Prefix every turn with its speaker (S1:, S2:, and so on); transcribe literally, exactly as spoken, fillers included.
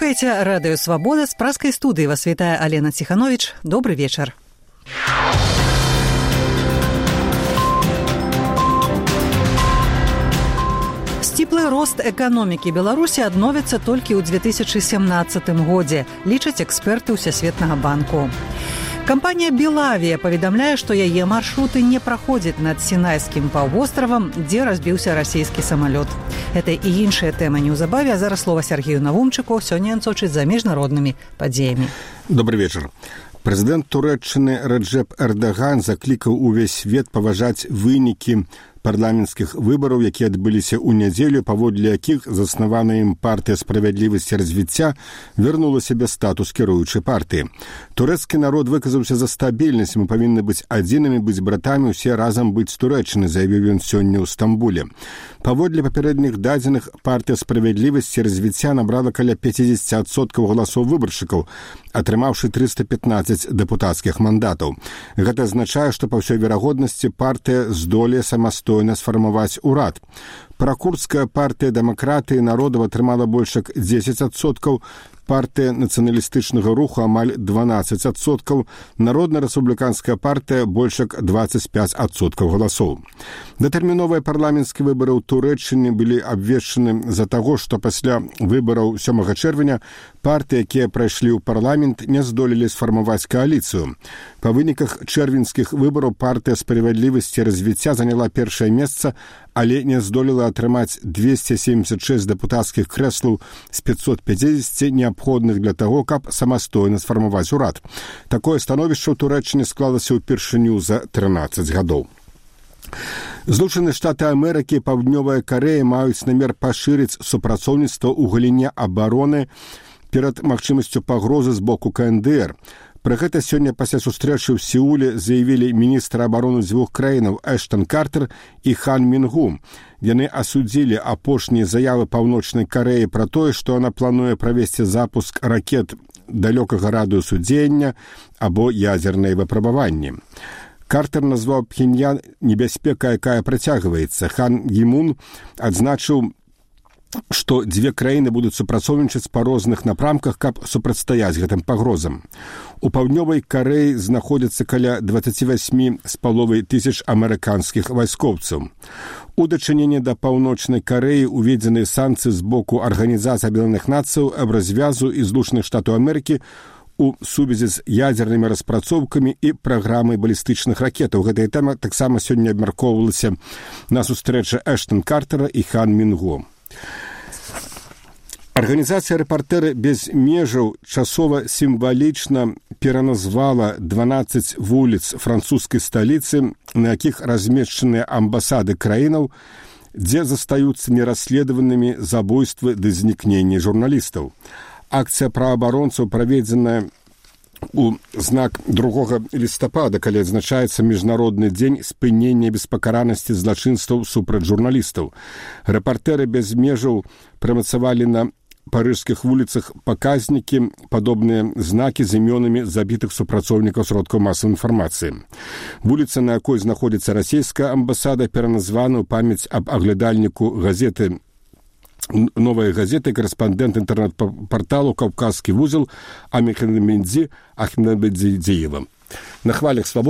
S1: Слухаеце радыё «Свабода», з праскай студыі вас вітае Алена Ціхановіч. Добры вечар. Сціплы рост эканомікі Беларусі адновіцца толькі ў две тысячы сямнаццатым годзе, лічаць эксперты Ўсясветнага банку. Кампанія «Белавія» паведамляе, што яе маршруты не праходзяць над Сінайскім паўвостравам, дзе разбіўся расійскі самалёт. Гэта і іншыя тэмы неўзабаве, а зараз слова Сергею Навумчыку, сёння ён сочыць за міжнароднымі падзеямі.
S2: Добрый вечар. Прэзідэнт Турэччыны Рэджэп Эрдаган заклікаў увесь свет паважаць вынікі парламенцкіх выбараў, якія адбыліся ў нядзелю, паводле якіх заснаваная ім партыя справядлівасці і развіцця вярнула сабе статус кіруючай партыі. Турэцкі народ выказаўся за стабільнасць, мы павінны быць адзінымі, быць братамі, усе разам быць з Турэччыны, заявіў ён сёння ў Стамбуле. Паводле папярэдніх дадзеных, партыя справядлівасці і развіцця набрала каля пяцьдзесят адсоткаў галасоў выбаршчыкаў, атрымаўшы трыста пятнаццаць дэпутацкіх мандатаў. Гэта азначае, што па ўсёй верагоднасці партыя здолее самастойна сфармаваць урад. Пракурдская партыя дэмакратыі народаў атрымала больш як дзесяць адсоткаў, партыя нацыяналістычнага руху амаль дванаццаць адсоткаў, народна-рэспубліканская партыя больш як дваццаць пяць адсоткаў галасоў. Датэрміновыя парламенцкія выбары ў Турэччыне былі абвешчаны з-за таго, што пасля выбараў сёмага чэрвеня партыі, якія прайшлі ў парламент, не здолелі сфармаваць кааліцыю. Па выніках чэрвеньскіх выбараў партыя справядлівасці і развіцця заняла першае месца, але не здолела атрымаць двесце семьдесят шесть дэпутацкіх крэслаў з пятьсот пятьдесят неабходных для таго, каб самастойна сфармаваць урад. Такое становішча ў Турэччыне склалася ўпершыню за трынаццаць гадоў. Злучаныя Штаты Амерыкі і Паўднёвая Карэя маюць намер пашырыць супрацоўніцтва ў галіне абароны перад магчымасцю пагрозы з боку ка эн дэ эр. Пра гэта сёння пасля сустрэчы ў Сеуле заявілі міністры абароны дзвюх краінаў Эштон Картер і Хан Мінгу. Яны асудзілі апошнія заявы Паўночнай Карэі пра тое, што яна плануе правесці запуск ракет далёкага радыусу дзеяння або ядзерныя выпрабаванні. Картер назваў Пхеньян небяспекай, якая працягваецца. Хан Гімун адзначыў, што дзве краіны будуць супрацоўнічаць па розных напрамках, каб супрацьстаяць гэтым пагрозам. У Паўднёвай Карэі знаходзіцца каля дваццаць восемь з паловай тысяч амерыканскіх вайскоўцаў. У дачыненні да Паўночнай Карэі уведзены санкцыі з боку Арганізацыі Аб'яднаных Нацыяў аб развязу і Злучаных Штатаў Амерыкі у сувязі з ядзернымі распрацоўкамі і праграмай балістычных ракетаў. Гэтая тэма таксама сёння абмяркоўвалася на сустрэчы Эштон Картера і Хан Мінгу. Арганізацыя «Рэпартэры без межаў» часова сімвалічна пераназвала дванаццаць вуліц французскай сталіцы, на якіх размешчаныя амбасады краінаў, дзе застаюцца нерасследаванымі забойствы ды знікненні журналістаў. Акцыя праваабаронцаў праведзеная у знак другога лістапада, калі адзначаецца міжнародны дзень спынення беспакаранасці злачынстваў супраць журналістаў. «Рэпартэры без межаў» прымацавалі на парыжскіх вуліцах паказнікі, падобныя знакі з імёнамі забітых супрацоўнікаў сродкаў масавай інфармацыі. Вуліца, на якой знаходзіцца расійская амбасада, пераназвана ў памяць аб аглядальніку газеты «Новая газета» і карэспандэнт інтэрнэт-парталу «Каўказскі вузел» Амехмедзі Ахмедзіева. На хвалях «Свабоды»